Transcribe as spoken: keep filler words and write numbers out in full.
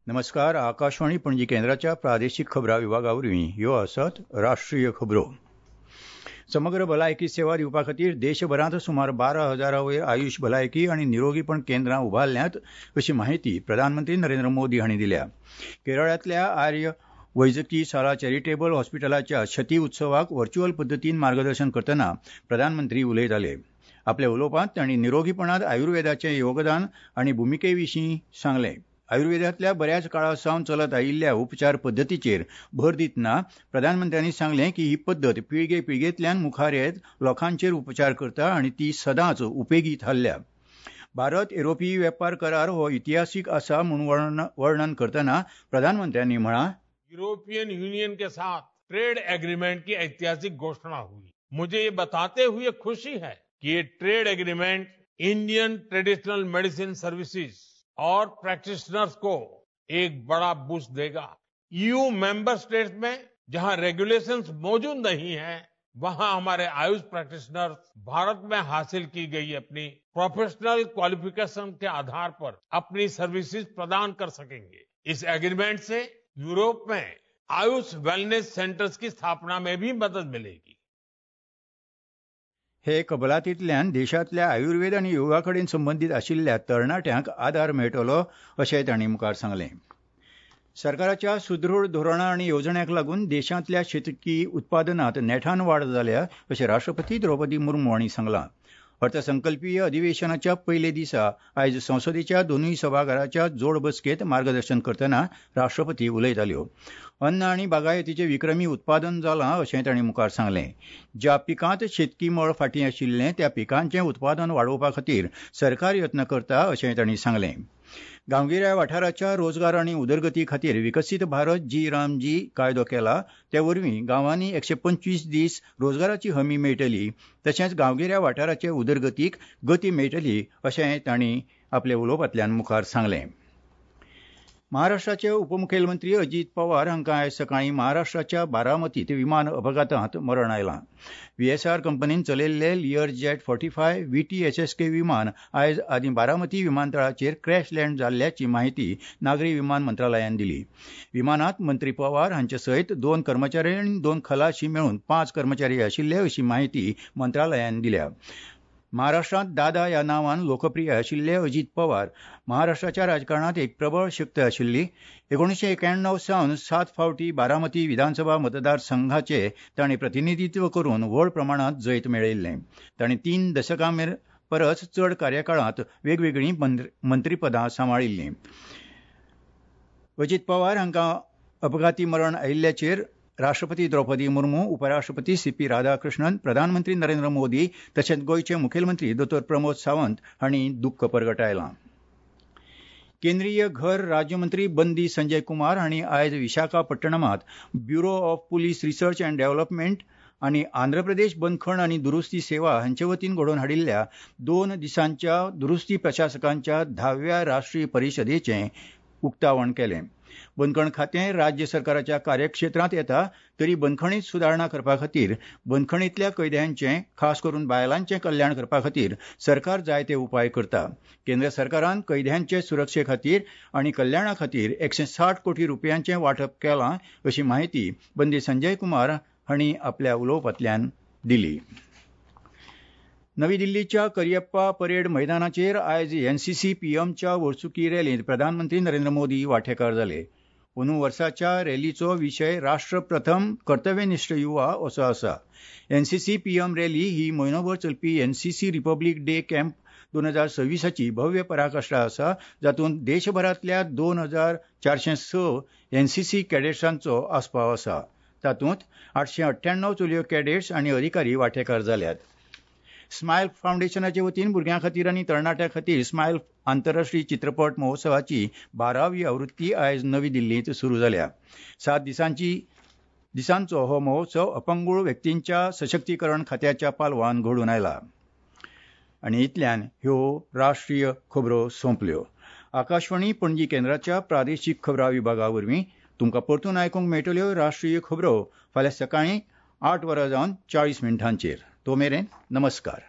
नमस्कार. आकाशवाणी पणजी केंद्राच्या प्रादेशीक खबरां विभागा वरवीं ह्यो आसात राष्ट्रीय खबरो. समग्र भलायकी सेवा दिवपा खातीर देशभरांत सुमार बारा हजारा वयर आयुष भलायकी आनी निरोगीपण केंद्रां उबारल्यांत अशी माहिती प्रधानमंत्री नरेंद्र मोदी हांणी दिल्या. केरळांतल्या आर्य वैजकी शाळा चॅरिटेबल हॉस्पिटलाच्या शती उत्सवाक व्हर्च्युअल पद्दतीन मार्गदर्शन करतना प्रधानमंत्री उलयताले. आपल्या उलोवपांत तांणी निरोगीपणांत आयुर्वेदाचें योगदान आनी भुमिके विशीं सांगलें. आयुर्वेदांतल्या बऱ्याच काळा सावन चलत आयिल्ल्या उपचार पद्दतीचेर भर दितना प्रधानमंत्र्यांनी सांगलें की ही पद्दत पिळगे पिळगेंतल्यान मुखार येत लोकांचेर उपचार करता आनी ती सदांच उपेगी थारल्या. भारत युरोपीय वेपार करार हो इतिहासीक आसा म्हूण वर्णन करतना प्रधानमंत्र्यांनी म्हळां, यूरोपियन यूनियन के साथ ट्रेड एग्रीमेंट की ऐतिहासिक घोषणा हुई. मुझे ये बताते हुए खुशी है कि ये trade agreement Indian traditional medicine services और प्रैक्टिशनर्स को एक बड़ा बूस्ट देगा. ईयू मेंबर स्टेट्स में जहां रेगुलेशंस मौजूद नहीं है, वहां हमारे आयुष प्रैक्टिशनर्स भारत में हासिल की गई अपनी प्रोफेशनल क्वालिफिकेशन के आधार पर अपनी सर्विसेज प्रदान कर सकेंगे. इस एग्रीमेंट से यूरोप में आयुष वेलनेस सेंटर्स की स्थापना में भी मदद मिलेगी. हे कबलातींतल्यान देशांतल्या आयुर्वेद आनी योगा कडेन संबंदीत आशिल्ल्या तरणाट्यांक आदार मेळटलो अशें तांणी मुखार सांगलें. सरकाराच्या सुदृढ धोरणां आनी येवजण्यांक लागून देशांतल्या शेतकी उत्पादनांत नेटान वाड जाल्या अशें राष्ट्रपती द्रौपदी मुर्मू हांणी सांगलां. अर्थसंकल्पीय अधिवेशनाच्या पयले दिसा आयज संसदेच्या दोनूय सभाघराच्या जोड बसकेंत मार्गदर्शन करतना राष्ट्रपती उलयताल्यो. अन्न आनी बागायतीचें विक्रमी उत्पादन जालां अशें तांणी मुखार सांगलें. ज्या पिकांत शेतकी मळ फाटीं आशिल्लें त्या पिकांचें उत्पादन वाडोवपा खातीर सरकार यत्न करता अशें तांणी सांगलें. गांवगिऱ्या वाठाराच्या रोजगार आनी उदरगती खातीर विकसीत भारत जी राम जी कायदो केला ते वरवीं गांवांनी एकशे पंचवीस दीस रोजगाराची हमी मेळटली तशेंच गांवगिऱ्या वाठाराचे उदरगतीक गती मेळटली अशें तांणी आपल्या उलोवपांतल्यान मुखार सांगलें. महाराष्ट्राचे उपमुखेलमंत्री अजीत पवार हांकां आयज सकाळीं महाराष्ट्राच्या बारामतींत विमान अपघातांत मरण आयलां. व्हीएसआर कंपनीन चलयल्ले Lear jet forty five V T S S K विमान आयज आदीं बारामती विमानतळाचेर क्रॅश लँड जाल्ल्याची माहिती नागरी विमान मंत्रालयान दिली. विमानांत मंत्री पवार हांचे सयत दोन कर्मचारी आनी दोन खलाशी मेळून पांच कर्मचारी आशिल्ले अशी माहिती मंत्रालयान दिल्या. महाराष्ट्रांत दादा ह्या नांवान लोकप्रिय आशिल्ले अजीत पवार महाराष्ट्राच्या राजकारणांत एक प्रबळ शक्त आशिल्ली. एकोणीशे एक्याण्णव सावन सात फावटी बारामती विधानसभा मतदारसंघाचे तांणी प्रतिनिधित्व करून व्हड प्रमाणांत जैत मेळयिल्लें. तांणी तीन दशकां परस चड कार्यकाळांत वेगवेगळीं मंत्रीपदां सांबाळिल्लीं. अजीत पवार हांकां अपघाती मरण आयिल्ल्याचेर राष्ट्रपती द्रौपदी मुर्मू, उपराष्ट्रपती सी पी राधाकृष्णन, प्रधानमंत्री नरेंद्र मोदी तशेंच गोंयचे मुखेलमंत्री दोतोर प्रमोद सावंत हांणी दुख्ख परगटायलां. केंद्रीय घर राज्यमंत्री बंदी संजय कुमार हांणी आयज विशाखापट्टणमांत bureau of police research and development आनी आंध्र प्रदेश बंदखण आनी दुरुस्ती सेवा हांचे वतीन घडोवन हाडिल्ल्या दोन दिसांच्या दुरुस्ती प्रशासकांच्या धाव्या राष्ट्रीय परिशदेचें उक्तावण केलें. बंदखण खातें राज्य सरकाराच्या कार्यक्षेत्रांत येता तरी बंदखणीत सुदारणा करपा खातीर बंदखणींतल्या कैद्यांचें खास करून बायलांचें कल्याण करपा खातीर सरकार जायते उपाय करता. केंद्र सरकारान कैद्यांचे सुरक्षे खातीर आनी कल्याणा खातीर एकशे साठ कोटी रुपयांचें वांटप केलां अशी माहिती बंदी संजय कुमार हांणी आपल्या उलोवपांतल्यान दिली. नवी दिल्लीच्या करियप्पा परेड मैदानाचेर आयज एनसीसी पीएमच्या वर्सुकी रॅलींत प्रधानमंत्री नरेंद्र मोदी वांटेकार जाले. अंदू वर्साच्या रॅलीचो विशय राष्ट्र प्रथम कर्तव्यनिश्ठ युवा असो आसा. एनसीसी पीएम रॅली ही म्हयनोभर चलपी एनसीसी रिपब्लीक डे कॅम्प दोन हजार सव्वीसाची भव्य पराकाश्ठा आसा, जातूंत देशभरांतल्या दोन हजार चारशे स एनसीसी कॅडेट्सांचो आस्पाव आसा. तातूंत आठशे अठ्ठ्याण्णव चलयो कॅडेट्स आनी अधिकारी वांटेकार जाल्यात. स्मायल फावंडेशनाचे वतीन भुरग्यां खातीर आनी तरणाट्यां खातीर स्मायल आंतरराष्ट्रीय चित्रपट महोत्सवाची बारावी आवृत्ती आयज नवी दिल्लींत सुरू जाल्या. सात दिसांची दिसांचो हो महोत्सव अपंगूळ व्यक्तींच्या सशक्तीकरण खात्याच्या पालवान घडून आयला. आनी इतल्यान ह्यो राष्ट्रीय खबरो सोंपल्यो. आकाशवाणी पणजी केंद्राच्या प्रादेशीक खबरां विभागा वरवीं तुमकां परतून आयकूंक मेळटल्यो राष्ट्रीय खबरो फाल्यां सकाळीं आठ वरां जावन चाळीस मिनटांचेर. तो मेरेन नमस्कार.